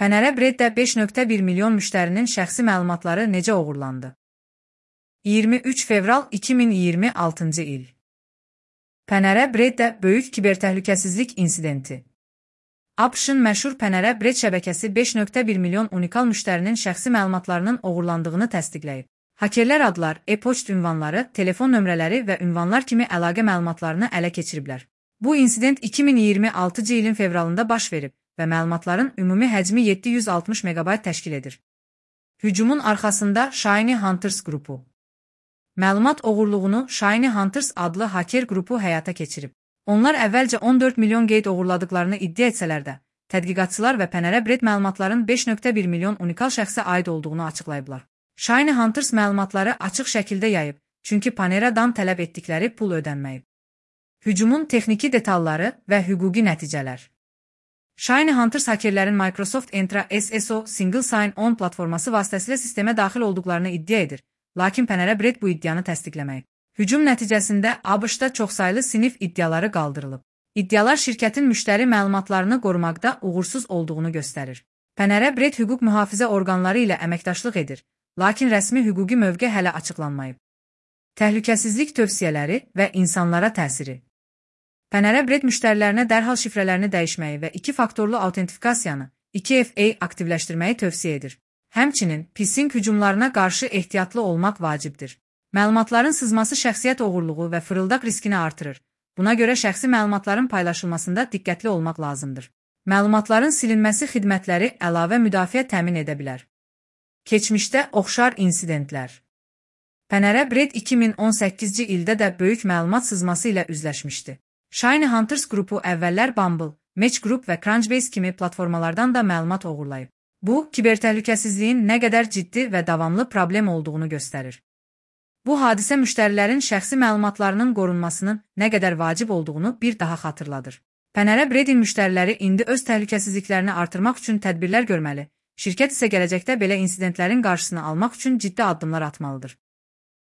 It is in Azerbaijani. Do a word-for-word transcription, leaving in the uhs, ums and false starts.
Panera Bread'də beş nöqtə bir milyon müştərinin şəxsi məlumatları necə oğurlandı? iyirmi üç fevral iki min iyirmi altıncı il. Panera Bread'də böyük kibertəhlükəsizlik insidenti. ABŞ-ın məşhur Panera Bread şəbəkəsi beş nöqtə bir milyon unikal müştərinin şəxsi məlumatlarının oğurlandığını təsdiqləyib. Hakerlər adlar, e-poçt ünvanları, telefon nömrələri və ünvanlar kimi əlaqə məlumatlarını ələ keçiriblər. Bu insident iki min iyirmi altıncı ilin fevralında baş verib və məlumatların ümumi həcmi yeddi yüz altmış megabayt təşkil edir. Hücumun arxasında Shiny Hunters qrupu. Məlumat oğurluğunu Shiny Hunters adlı haker qrupu həyata keçirib. Onlar əvvəlcə on dörd milyon qeyd oğurladıqlarını iddia etsələr də, tədqiqatçılar və Panera Bread məlumatların beş nöqtə bir milyon unikal şəxsə aid olduğunu açıqlayıblar. Shiny Hunters məlumatları açıq şəkildə yayıb, çünki Paneradan tələb etdikləri pul ödənməyib. Hücumun texniki detalları və hüquqi nəticələr. Shiny Hunters hakerlərin Microsoft Entra S S O Single Sign-On platforması vasitəsilə sistemə daxil olduqlarını iddia edir, lakin Panera Bread bu iddianı təsdiqləməyib. Hücum nəticəsində ABŞ-da çoxsaylı sinif iddiaları qaldırılıb. İddialar şirkətin müştəri məlumatlarını qorumaqda uğursuz olduğunu göstərir. Panera Bread hüquq mühafizə orqanları ilə əməkdaşlıq edir, lakin rəsmi hüquqi mövqe hələ açıqlanmayıb. Təhlükəsizlik tövsiyələri və insanlara təsiri. Panera Bread müştərilərinə dərhal şifrələrini dəyişməyi və iki faktorlu autentifikasiyanı iki F A aktivləşdirməyi tövsiyə edir. Həmçinin, phishing hücumlarına qarşı ehtiyatlı olmaq vacibdir. Məlumatların sızması şəxsiyyət oğurluğu və fırıldaq riskini artırır. Buna görə şəxsi məlumatların paylaşılmasında diqqətli olmaq lazımdır. Məlumatların silinməsi xidmətləri əlavə müdafiə təmin edə bilər. Keçmişdə oxşar insidentlər. Panera Bread iki min on səkkizinci ildə də böyük məlumat sızması ilə üzləşmişdi. Shiny Hunters qrupu əvvəllər Bumble, Match Group və Crunchbase kimi platformalardan da məlumat oğurlayıb. Bu, kibertəhlükəsizliyin nə qədər ciddi və davamlı problem olduğunu göstərir. Bu hadisə müştərilərin şəxsi məlumatlarının qorunmasının nə qədər vacib olduğunu bir daha xatırladır. Panera Bread'in müştəriləri indi öz təhlükəsizliklərini artırmaq üçün tədbirlər görməli, şirkət isə gələcəkdə belə insidentlərin qarşısını almaq üçün ciddi addımlar atmalıdır.